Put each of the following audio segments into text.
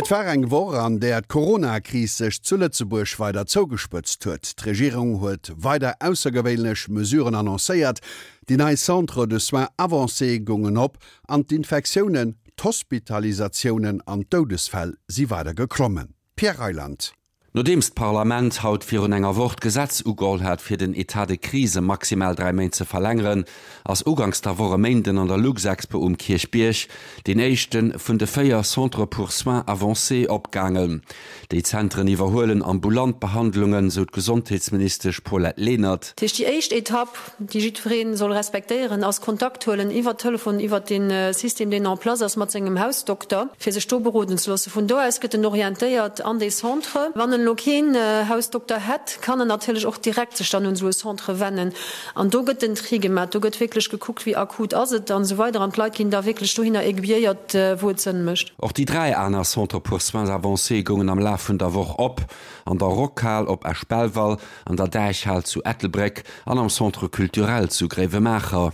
Et war eng Woch, an där d'Corona-Kris sech zu Lëtzebuerg weider zougespëtzt huet. D'Regierung huet weider aussergewéinlech Mesuren annoncéiert, déi nei Centres de soins avancés goungen op an d'Infektiounen, d'Hospitalisatiounen an d'Doudesfäll si weider geklommen. Pierre Reyland. Nodeems d'Parlament haut virun enger Woch d'Gesetz ugeholl hat, fir den Etat de crise maximal 3 Méint ze verlängeren, ass uganks der Woch e Méinden an der Luxexpo um Kierchbierg deen éischte vun de 4 Centres pour soins avancés opgaangen. Déi Zentren iwwerhuelen ambulant Behandlungen, sou d'Gesondheetsministesch Paulette Lenert. Dat heescht, déi éischt Etapp, déi jiddweree soll respektéieren, ass Kontakt huelen iwwer Telefon, iwwer dee System, deen en place ass, mat sengem Hausdokter, fir sech do beroden ze loossen. Vun do aus gëtt en orientéiert an dee Centre. Wann en elo keen Hausdokter hätt, kann en natierlech och direkt sech dann un esou e Centre wennen. An do gëtt den Tri gemaach, do gëtt wierklech gekuckt, wéi akut ass et an esou weider an d'Leit ginn da wierklech dohinner aiguilléiert, wou et Sënn mécht. Och déi 3 aner Centres pour soins avancés goungen am Laf vun der Woch op, an der Rockhal op Esch-Belval, an der Däichhal zu Ettelbréck an am Centre culturel zu Gréiwemaacher.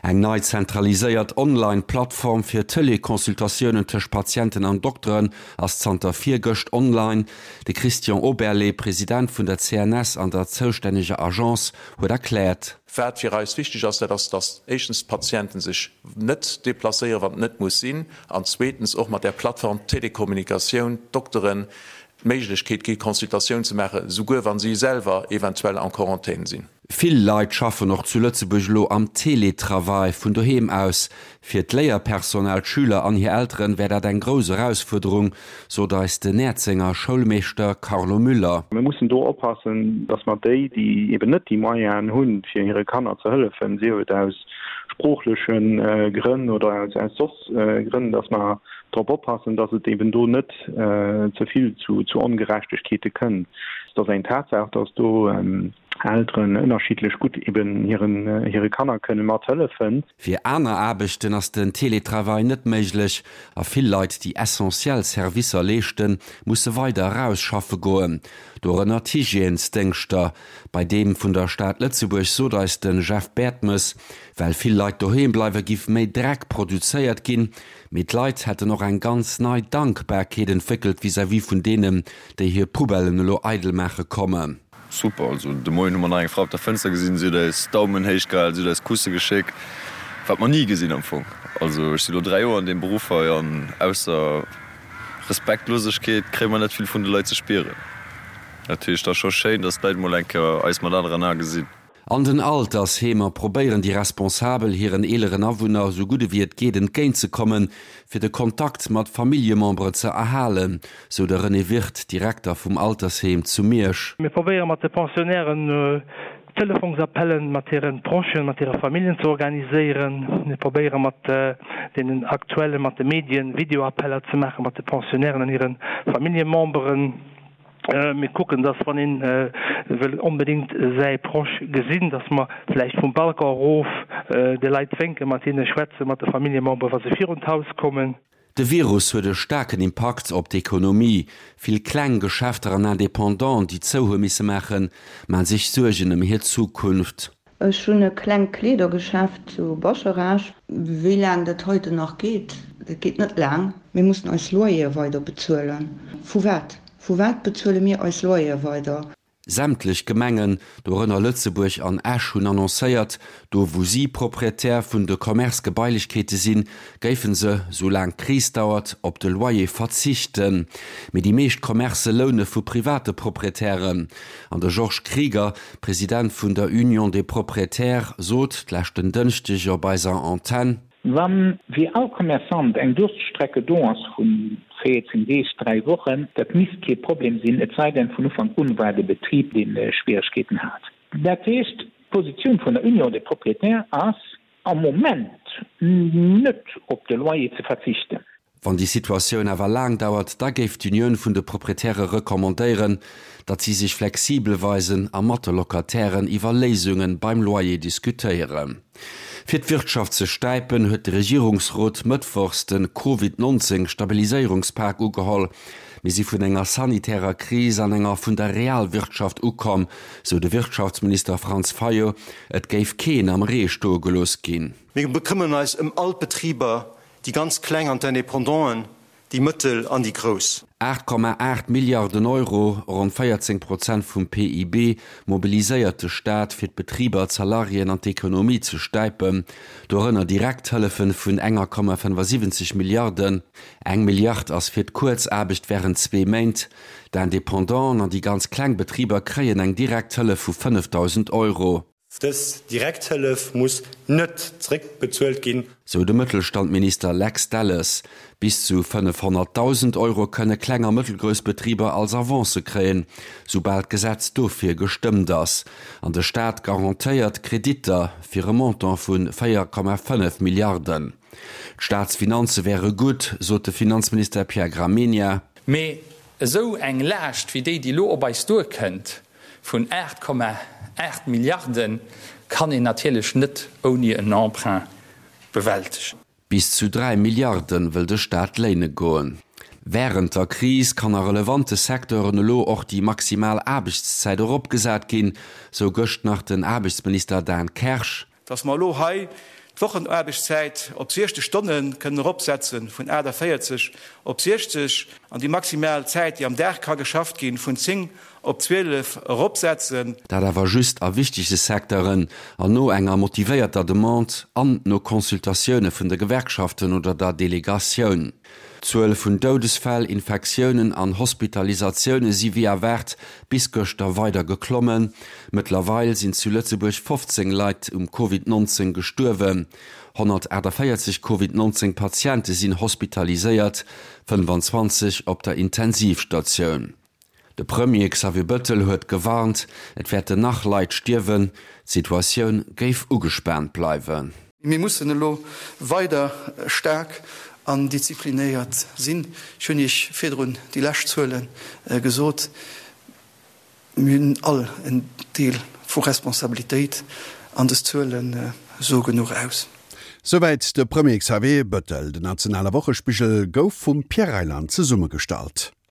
Eng nei zentraliséiert Online-Plattform fir Teleconsultatiounen tëscht Patienten an Dokteren ass zanter virgëscht online. De Christian Oberlé, President vun der CNS an der zoustänneger Agence, huet erkläert. Wat fir eis wichteg ass, dat ass, datt éischtens d'Patienten sech net deplacéieren, wann et net muss sinn, an zweetens och mat där Plattform d'Telekommunikatioun, d'Dokteren d'Méiglechkeet gi Consultatioun ze maachen, souguer wa si selwer eventuell en Quarantaine sinn. Vill Leit schaffen och zu Lëtzebuerg elo am Teletravail vun doheem aus. Fir d'Léierpersonal, d'Schüler an hir Elteren wär dat eng grouss Erausfuerderung, sot eis den Näerzenger Schoulmeeschter Carlo Müller. Mir mussen do oppassen, dass mer déi, déi eben net déi Moyenen hunn, fir hire Kanner ze hëllefen, sief et aus sproochleche Grënn oder aus soss Grënn, dass mer drop oppassen, dass et eben do net ze vill zu Ongerechtegkeete kënnt. Et ass eng Tatsaach, dass do Elteren ënnerschiddlech gutt eben hire Kanner kënne mathëllefen. Fir aner Aarbechten ass den Teletravail net méiglech a vill Leit, déi essentiell Servicer leeschten, musse weider eraus schaffe goen, dorënner d'Hygiènesdéngschter. Bei deem vun der Stad Lëtzebuerg sot eis de Jeff Bertmes, Well vill Leit doheem bleiwe giff méi Dreck produzéiert ginn, mee d'Leit hätten och eng ganz nei Dankbarkeet entwéckelt vis-à-vis vun deenen, déi hir Poubellen elo eidel maache kommen. Super, also de Moien hu mer nach eng Fra op der Fënster gesinn, si huet eis Daumen héich gehal, si huet eis Kusse geschéckt, wat mer ni gesinn am Fong. Also ech si lo 3 Joer an deem Beruff hei an ausser Respektlosegkeet kréie mer net vill vun de Leit ze spieren. Dat heescht, et ass scho schéin, dass d'Leit mol eng Kéier eis mat aneren Ae gesinn. An den Altersheemer probéieren déi Responsabel hiren eeleren Awunner esou gutt ewéi et geet entgéint ze kommen, fir de Kontakt mat Familljemembere ze erhalen, sou de René Wirth, Direkter vum Altersheem zu Miersch. Mir probéiere mat de Pensionnairen Telefongsappellen mat hire Prochen, mat hire Familljen ze organiséieren. Mir probéiere mat deenen aktuelle, mat de Medien Videoappeller ze maache mat de Pensionnairen an hire Familljememberen. Mir kucken, dass wann een wëll onbedéngt säi Proche gesinn, dass mer vläicht vum Balcon erof de Leit wénken, mat hinne schwätzen, mat de Familljemembere wa se virun d'Haus kommen. De Virus huet e staarken Impakt op d'Ekonomie. Vill kleng Geschäfter an Indépendanten, déi zou hu misse maachen, maan sech Suergen ëm hir Zukunft. Ech hunn e klengt Kleedergeschäft zu Bascharage. Wéi laang dat heiten nach geet? Dat geet net laang. Mir mussen eis Loyere weider bezuelen. Vu wat? Vu wat bezuele mir eis Loyere weider? Sämtlech Gemengen, dorënner Lëtzebuerg an Esch, hunn annoncéiert, do wou si Proprietär vun de Commerce-Gebailechkeete sinn, géife se, sou laang d'Kris dauert, op de Loyer verzichten. Mee déi meescht Commercë loune vu private Proprietären. An de Georges Krieger, President vun der Union des Propriétaires, sot d'leschten Dënschdeg op eiser Antenn. Wann, wéi all Commerçant, eng Durststrecke do ass vun 14 Deeg, 3 Wochen, dat misst kee Problem sinn, et sei denn, vun Ufank un war de Betrib, dee Schwieregkeeten hat. Dat heescht, d'Positioun vun der Union des Propriétaires ass am Moment net op de Loyer ze verzichten. Wann déi Situatioun awer laang dauert, da géif d'Unioun vun de Proprietäre recommandéieren, datt si sech flexibel weisen a mat de Locatairen iwwer Léisunge beim Loyer diskutéieren. Fir d'Wirtschaft ze stäipen, huet de Regierungsrot mëttwochs de Covid 19 Stabiliséierungspak ugeholl. Mir si vun enger sanitärer Kris an enger vun der Realwirtschaft ukomm, sou de Wirtschaftsminister Franz Fayot. Et géif keen am Ree stoe gelooss ginn. Mir bekëmmeren eis ëm all d'Betriber, déi ganz Kleng an d'Independanten. Déi mëttel an déi grouss. 8,8 Milliarden Euro, ronn 14 Prozent vum PIB, mobiliséiert de Staat, fir d'Betriber, d'Salariéen an d'Ekonomie ze stäipen. Dorënner Direkthëllefen vun 1,75 Milliarden. Eng Milliard ass fir d'Kuerzaarbecht wärend zwee Méint. D'Independanten an déi ganz kleng Betriber kréien eng direkt Hëllef vu 5.000 Euro. Dës Direkthëllef muss net zeréckbezuelt ginn. Sou de Mëttelstandminister Lex Delles. Bis zu 500.000 Euro kënne kleng a mëttelgrouss Betriber als Avance kréien, soubal d'Gesetz dofir gestëmmt ass. An de Staat garantéiert Kreditter fir e Montant vu 4,5 Milliarden. D'Staatsfinanze wäre gutt, sot de Finanzminister Pierre Gramegna. Mee esou eng Laascht wéi déi, déi elo op eis duerkënnt, Vun 8,8 Milliarde kann een natierlech net ouni en Emprunt bewältegen. Bis zu 3 Milliarde wëll de Staat léine goen. Wärend der Kris kann a relevante Secteuren elo och déi maximal Aarbechtszäit eropgesat ginn, sou gëscht nach den Aarbechtsminister Dan Kersch. Dass mer elo hei d'Wochenaarbechtszäit op 60 Stonne kënnen eropsetzen, vun 48 op 60, an déi maximal Zäit, déi am Dag ka geschafft ginn, vun 10 op 12 eropsetzen. Dat awer just a wichtege Secteuren an no enger motivéierter Demande an no Consultatioune vun de Gewerkschaften oder der Delegatioun. D'Zuel vun Doudesfäll, Infektiounen an Hospitalisatioune si wéi erwaart bis gëschter weider geklommen. Mëttlerweil sinn zu Lëtzebuerg 15 Leit um Covid 19 gestuerwen. 148 Covid 19 Patiente sinn hospitaliséiert, 25 op der Intensivstatioun. De Premier Xavier Bëttel huet gewarnt, et wäerten nach Leit stierwen, d'Situatioun géif ugespaant bleiwen. Mir mussen elo weider staark an disziplinéiert sinn. Ech hunn Iech virdrun déi lescht Zuele gesot. Mir hunn all en Deel vu Responsabilitéit an dës Zuele soe genuch aus. Souwäit de Premier Xavier Bëttel. Den nationale Wochespigel gouf vum Pierre Reyland zesummegestallt.